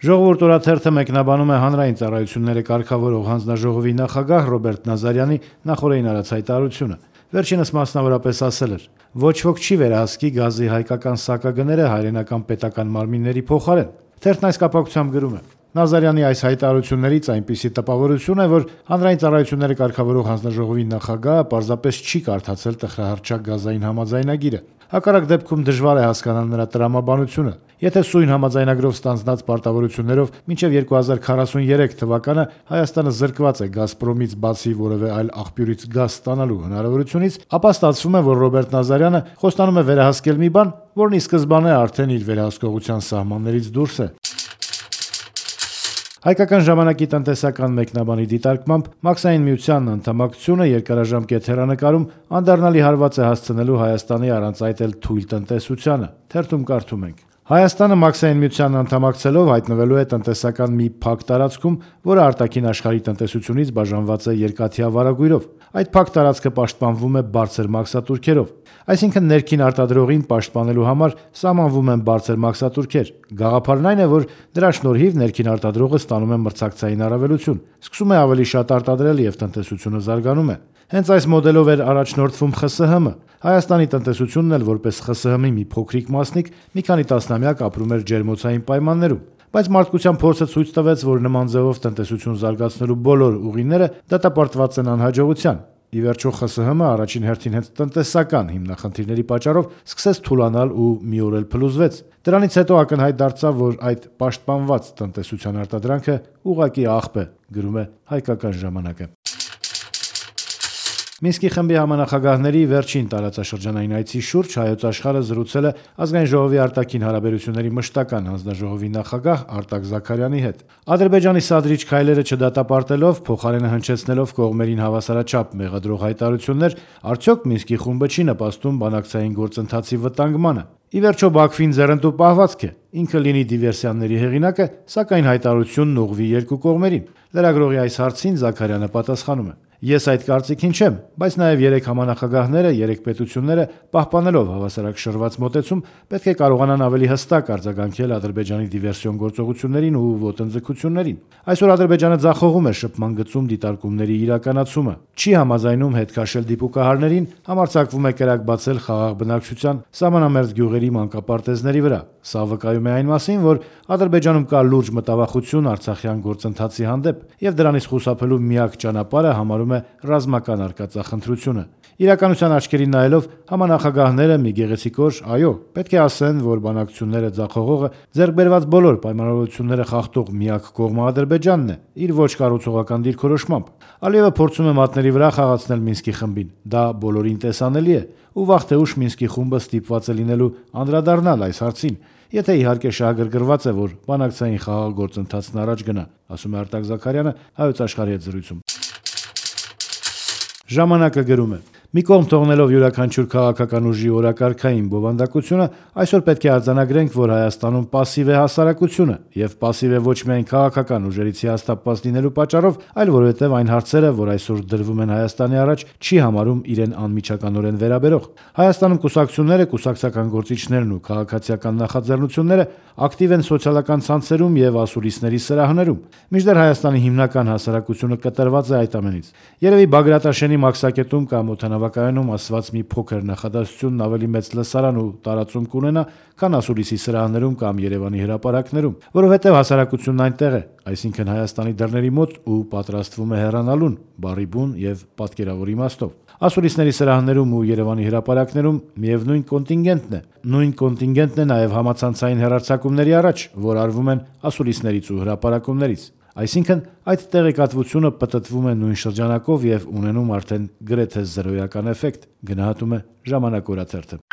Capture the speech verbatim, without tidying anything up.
Ժողովուրդ օրաթերթը մեկնաբանում է հանրային ծառայությունները կարգավորող հանձնաժողովի նախագահ Ռոբերտ Նազարյանի նախօրեին արած հայտարարությունը։ Վերջինս մասնավորապես ասել էր. «Ոչ ոք չի վերահսկի գազի հայկական սակագները հայրենական պետական մարմինների փոխարեն»։ Թերթն այս կապակցությամբ գրում է. Նազարյանի այս հայտարարություններից այնպիսի տպավորություն է, որ հանրային ծառայությունները կարգավորող հանձնաժողովի նախագահը պարզապես չի կարդացել տխրահռչակ գազային համաձայնագիրը։ Հակառակ դեպքում դժվար է հասկանալ նրա տրամաբանությունը։ Եթե սույն համաձայնագրով ստանձնած պարտավորություններով մինչև երկու հազար քառասուներեք թվականը Հայաստանը զրկված է «Գազպրոմից» բացի որևէ այլ աղբյուրից գազ ստանալու հնարավորությունից, ապա ստացվում է, որ Ռոբերտ Նազարյանը խոստանում է վերահսկել մի բան, որն ի սկզբանե արդեն իր վերահսկողության սահմաններից դուրս է։ Հայկական ժամանակի տնտեսական մեկնաբանի դիտարկմամբ Մաքսային միությանն անդամակցությունը երկարաժամկետ հեռանկարում անդառնալի հարված է հասցնելու Հայաստանի առանց այդ էլ թույլ տնտեսությանը։ Թերթում կարդում ենք. Հայաստանը Մաքսային միությանն անդամակցելով հայտնվելու է տնտեսական մի փակ տարածքում, որը արտաքին աշխարհի տնտեսությունից բաժանված է երկաթյա վարագույրով։ Այդ փակ տարածքը պաշտպանվում է բարձր մաքսատուրքերով։ Այսինքն ներքին արտադրողին պաշտպանելու համար սահմանվում են բարձր մաքսատուրքեր։ Գաղափարն այն է, որ դրա շնորհիվ ներքին արտադրողը ստանում է մրցակցային առավելություն, սկսում է ավելի շատ արտադրել եւ տնտեսությունը զարգանում է։ Հենց այս մոդելով էր առաջնորդվում Խ ՍՀ Հ-ը։ Հայաստանի տնտեսությունն էլ որպես Խ ՍՀ Հ-ի մի փոքրիկ մասնիկ մի քանի տասնամյակ ապրում էր ջերմոցային պայմաններում։ Բայց մարդկության փորձը ցույց տվեց, որ նման ձևով տնտեսություն զարգացնելու բոլոր ուղիները դատապարտված են անհաջողության։ Ի վերջո Խ ՍՀ Հ-ը առաջին հերթին հենց տնտեսական հիմնախնդիրների պատճառով սկսեց թուլանալ ու մի օր էլ փլուզվեց։ Դրանից հետո ակնհայտ դարձավ, որ այդ պաշտպանված տնտեսության արտադրանքը ուղղակի աղբ է, գրում է Հայկական ժամանակը։ Մինսկի խմբի համանախագահների վերջին տարածաշրջանային այցի շուրջ Հայոց աշխարհը զրուցել է Ազգային ժողովի արտաքին հարաբերությունների մշտական հանձնաժողովի նախագահ Արտակ Զաքարյանի հետ։ Ադրբեջանի սադրիչ քայլերը չդատապարտելով, փոխարենը հնչեցնելով կողմերին հավասարաչափ մեղադրող հայտարարություններ, արդյոք Մինսկի խումբը չի նպաստում բանակցային գործընթացի վտանգմանը։ Ի վերջո Բաքվին ձեռնտու պահվածք է, ինքը լինի դիվերսիաների հեղինակը, սակայն հայտարարությունն ուղղվի երկու կողմերին։ Լրագրողի այս հարցին Զաքարյանը պատասխանում է. Ես այդ կարծիքին չեմ, բայց նաև երեք համանախագահները, երեք պետությունները պահպանելով հավասարակշռված մոտեցում պետք է կարողանան ավելի հստակ արձագանքել Ադրբեջանի դիվերսիոն գործողություններին ու ոտնձգություններին։ Այսօր Ադրբեջանը ձախողում է շփման գծում դիտարկումների իրականացումը, չի համաձայնում հետ քաշել դիպուկահարներին, համարձակվում է կրակ բացել խաղաղ բնակչության, սահմանամերձ գյուղերի մանկապարտեզների վրա։ Սա վկայում է այն մասին, որ Ադրբեջանում կա լուրջ մտավախություն արցախյան գործընթացի հանդեպ, եւ դրանից խուսափելու միակ ճանապարհը համարում է ռազմական արկածախնդրությունը։ Իրականության աչքերին նայելով համանախագահները մի գեղեցիկ օր, այո, պետք է ասեն, որ բանակցությունները ձախողողը ձեռք բերված բոլոր պայմանավորվածությունները խախտող միակ կողմը Ադրբեջանն է, իր ոչ կառուցողական դիրքորոշմամբ։ Ալիևը փորձում է մատների վրա խաղացնել Մինսկի խմբին։ Դա բոլորին տեսանելի է, ու վաղ թե ուշ Մինսկի խումբը ստիպված է լինելու անդրադառնալ այս հարցին, եթե իհարկե շահագրգռված է, որ բանակցային խաղաղ գործընթացն առաջ գնա, ասում է Արտակ Զաքարյանը Հայոց աշխարհի հետ զրույցում։ Ժամանակը գրում է. Մի կողմ թողնելով յուրաքանչյուր քաղաքական ուժի օրակարգային բովանդակությունը, այսօր պետք է արձանագրենք, որ Հայաստանում պասիվ է հասարակությունը, եւ պասիվ է ոչ միայն քաղաքական ուժերից հիասթափված լինելու պատճառով, այլ որովհետեւ այն հարցերը, որ այսօր դրվում են Հայաստանի առաջ, չի համարում իրեն անմիջականորեն վերաբերող։ Հայաստանում կուսակցությունները, կուսակցական գործիչներն ու քաղաքացիական նախաձեռնությունները ակտիվ են սոցիալական ցանցերում եւ ասուլիսների սրահներում, մինչդեռ Հայաստանի հիմնական հասարակությունը կտրված է այդ ամենից։ Երևի Բագրատաշենի մաքսակետում կամ օդանավակայանում ասված մի փոքր նախադասությունն ավելի մեծ լսարան ու տարածում կունենա, քան ասուլիսի սրահներում կամ Երևանի հրապարակներում, որովհետեւ հասարակությունն այնտեղ է, այսինքն Հայաստանի դռների մոտ ու պատրաստվում է հեռանալուն, բառի բուն եւ պատկերավոր իմաստով։ Ասուլիսների սրահներում ու Երևանի հրապարակներում միևնույն կոնտինգենտն է։ Նույն կոնտինգենտն է նաև համացանցային հեռարձակումների առաջ, որ արվում են ասուլիսներից ու հրապարակումներից։ Այսինքն այդ տեղեկատվությունը պտտվում է նույն շրջանակով եւ ունենում արդեն գրեթե զրոյական էֆեկտ, գնահատում է Ժամանակ օրաթերթը։